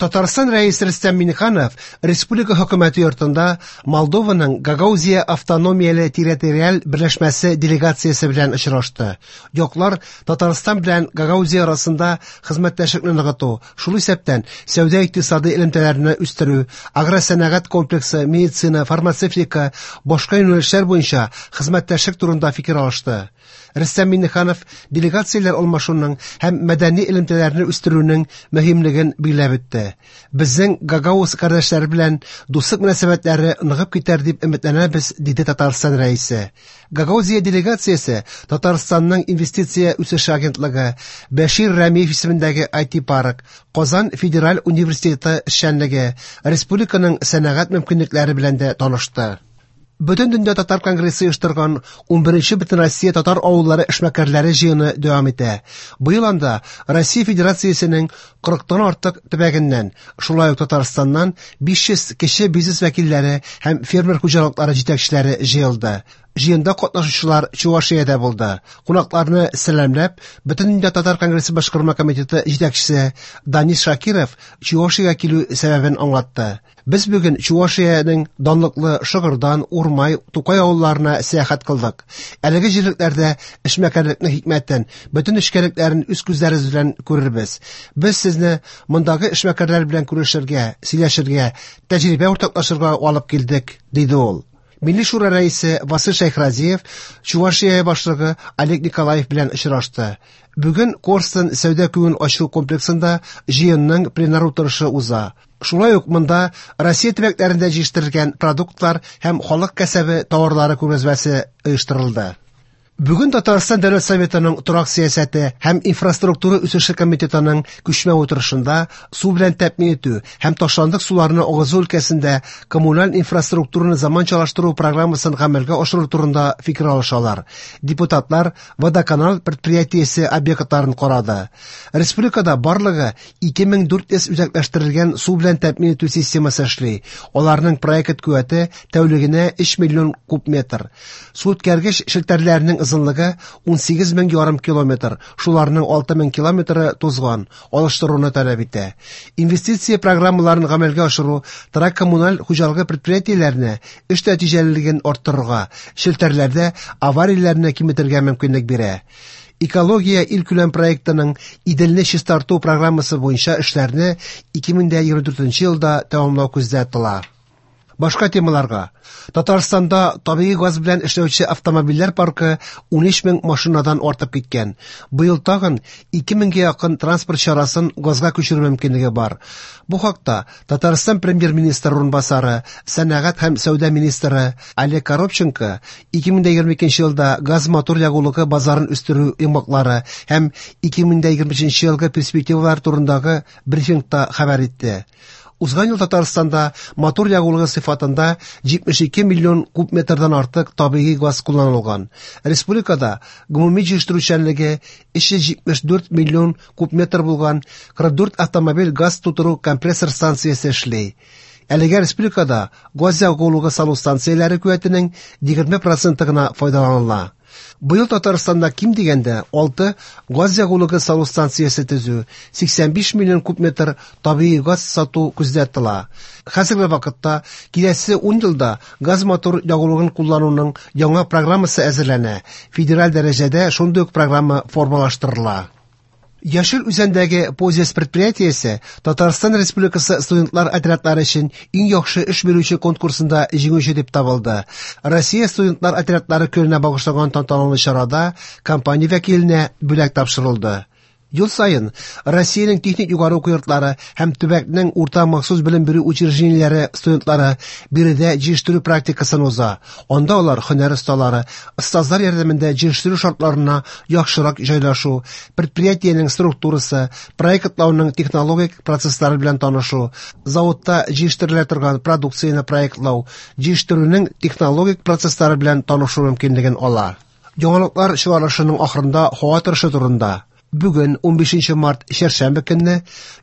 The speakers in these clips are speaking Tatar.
Татарстан Рәисе Рөстәм Миңнеханов республика хөкүмәте йортында Молдованың Гагаузия автономияле территориаль берләшмәсе делегациясе белән очрашты. Яклар Татарстан белән Гагаузия арасында хезмәттәшлекне ныгыту, шул исәптән сәүдә-икътисадый элемтәләрне үстерү, агросәнәгать комплексы, медицина, фармацевтика, башка юнәлешләр буенча хезмәттәшлек турында фикер алышты. Рөстәм Миңнеханов делегацияләр алмашуның һәм мәдәни элемтәләрне үстерүнең мөһимлеген билгеләп үтте. Безнең Гагауз кардәшләре белән дуслык мөнәсәбәтләре ныгып китәр дип өметләнәбез, диде Татарстан Рәисе. Гагаузия делегациясе Татарстанның инвестиция үсеше агентлыгы, Бәшир Рәмиев исемендәге IT-парк, Казан федераль университеты эшчәнлеге, республиканың сәнәгать мөмкинлекләре белән дә танышты. Бөтендөнья татар конгрессы оештырган 11нче Бөтенроссия татар авыллары эшмәкәрләре җыены дәвам итә. Быел анда Россия Федерациясенең 40тан артык төбәгеннән, шулай ук Татарстаннан 500 кече бизнес вәкилләре һәм фермер хуҗалыклары җитәкчеләре җыелды. Җыенда катнашучылар Чувашиядә булды. Кунакларны сәламләп, Бөтендөнья татар конгрессы башкарма комитеты җитәкчесе Данис Шакиров Чувашиягә килү сәбәбен аңлатты. Без бүген Чувашиянең данлыклы Шыгырдан, Урмай, Тукай авылларына сәяхәт кылдык. Әлеге җирлекләрдә эшмәкәрлекнең хикмәтен, бөтен нечкәлекләрен үз күзләребез белән күрербез. Без сезне мондагы эшмәкәрләр белән күрешергә, сөйләшергә, тәҗрибә уртаклашырга алып килдек, диде ул. Милли Шура рәисе Васил Шәйхразиев Чувашия башлыгы Олег Николаев белән очрашты. Бүген Корстон сәүдә күңел ачу комплексында җыенның пленар утырышы уза. Шулай ук монда Россия төбәкләрендә җитештерелгән продуктлар һәм халык кәсәбе товарлары күргәзмәсе оештырылды. Бүген Татарстан Дәүләт Советының торак сәясәте һәм инфраструктура үсеше комитетының күчмә утырышында су белән тәэмин итү һәм ташландык суларны агызу өлкәсендә коммуналь инфраструктураны заманчалаштыру программасын гамәлгә ашыру турында фикер алышалар. Депутатлар Водоканал предприятиесе объектларын карады. Республикада барлыгы 2400 үзәкләштерелгән су белән тәэмин итү системасы эшли. Аларның проект куәте тәүлегенә 3 миллион куб метр. Су үткәргеч челтәрләренең озынлыгы 18 мең ярым километр, шуларның 6 мең километры тузган, алыштыруны таләп итә. Инвестиция программаларын гамәлгә ашыру торак коммуналь хуҗалыгы предприятиеләренә эш нәтиҗәлелеген арттырырга, челтәрләрдә аварияләрне киметергә мөмкинлек бирә. Экология илкүләм проектының Иделне чистарту программасы буенча эшләрне 2024 елда тәмамлау күздә тотыла. Башка темаларга. Татарстанда табигый газ белән эшләүче автомобильләр паркы 13 мең машинадан артып киткән. Быел тагын 2 меңгә якын транспорт чарасын газга күчерү мөмкинлеге бар. Бу хакта Татарстан премьер-министры урынбасары, сәнәгать һәм сәүдә министры Олег Коробченко 2022 елда газ-мотор ягулыгы базарын үстерү йомгаклары һәм 2023 елгы перспективалар турындагы брифингта хәбәр итте. Узган ел Татарстанда мотор ягулыгы сыйфатында 72 миллион куб метрдан артык табигый газ кулланылган. Республикада гомуми җитештерүчәнлеге 374 миллион куб метр булган 44 автомобиль газ тутыру компрессор станциясе эшли. Әлегә республикада газ ягулыгы салу станцияләре куәтенең 20 проценты гына файдаланыла. Быел Татарстанда ким дигәндә 6 газ ягулыгы салу станциясе төзү, 85 миллион куб метр табигый газ сату күздә тотыла. Хәзерге вакытта киләсе 10 елда газ-мотор ягулыгын куллануның яңа программасы әзерләнә. Федераль дәрәҗәдә шундый ук программа формалаштырыла. Яшел Үзәндәге Позис предприятиесе Татарстан Республикасы студентлар отрядлары өчен иң яхшы эш бирүче конкурсында җиңүче дип табылды. Россия студентлар отрядлары көненә багышланган тантаналы чарада компания вәкиленә бүләк тапшырылды. Ел саен Россиянең техник югары уку йортлары һәм төбәкнең урта махсус белем бирү учреждениеләре студентлары биредә җитештерү практикасын уза. Анда алар һөнәр осталары, остазлар ярдәмендә җитештерү шартларына яхшырак җайлашу, предприятиенең структурасы, проектлауның технологик процесслары белән танышу, заводта җитештерелә торган продукцияне проектлау, җитештерүнең технологик процесслары белән танышу мөмкинлеген ала. Яңалыклар чыгарылышының ахырында һава торышы турында. Бүген 15 март чәршәмбе көнне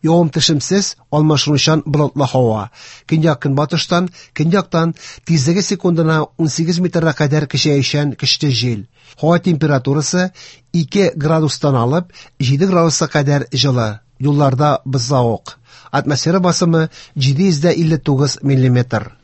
явым-төшемсез, алмашынучан болытлы һава. Көньяк-көнбатыштан, көньяктан тизлеге секундына 18 метрга кадәр көчәючән көчле җил. Һава температурасы 2 градустан алып 7 градуска кадәр җылы. Юлларда бозлавык. Атмосфера басымы 759 миллиметр.